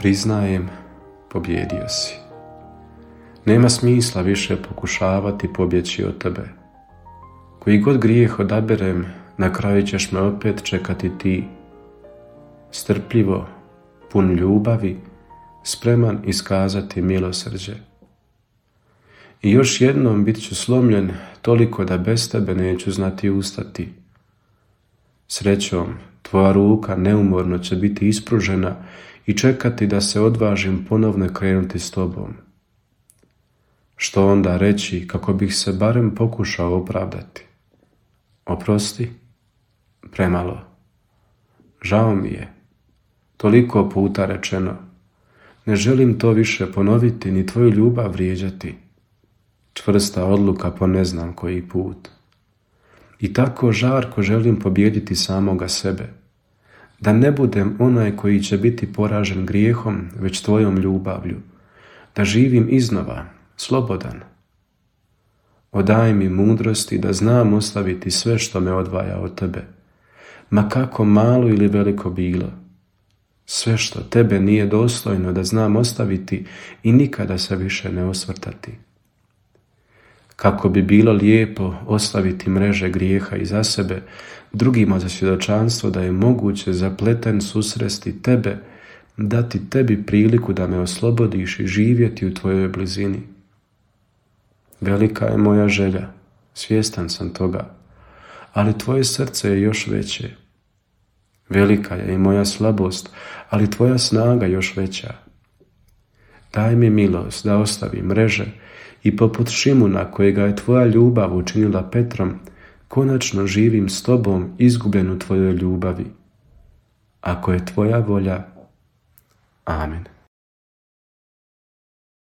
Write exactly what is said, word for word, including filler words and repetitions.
Priznajem, pobjedio si. Nema smisla više pokušavati pobjeći od tebe. Koji god grijeh odaberem, na kraju ćeš me opet čekati ti. Strpljivo, pun ljubavi, spreman iskazati milosrđe. I još jednom bit ću slomljen toliko da bez tebe neću znati ustati. Srećom, tvoja ruka neumorno će biti ispružena i čekati da se odvažim ponovno krenuti s tobom. Što onda reći kako bih se barem pokušao opravdati? Oprosti? Premalo. Žao mi je. Toliko puta rečeno. Ne želim to više ponoviti ni tvoju ljubav vrijeđati. Čvrsta odluka po ne znam koji put. I tako žarko želim pobijediti samoga sebe. Da ne budem onaj koji će biti poražen grijehom, već tvojom ljubavlju. Da živim iznova, slobodan. Odaj mi mudrosti da znam ostaviti sve što me odvaja od tebe. Ma kako malo ili veliko bilo. Sve što tebe nije dostojno da znam ostaviti i nikada se više ne osvrtati. Kako bi bilo lijepo ostaviti mreže grijeha iza sebe, drugima za svjedočanstvo da je moguće zapleten susresti tebe, dati tebi priliku da me oslobodiš i živjeti u tvojoj blizini. Velika je moja želja, svjestan sam toga, ali tvoje srce je još veće. Velika je i moja slabost, ali tvoja snaga još veća. Daj mi milost da ostavim mreže i poput Šimuna kojega je tvoja ljubav učinila Petrom, konačno živim s tobom izgubljen u tvojoj ljubavi. Ako je tvoja volja, amen.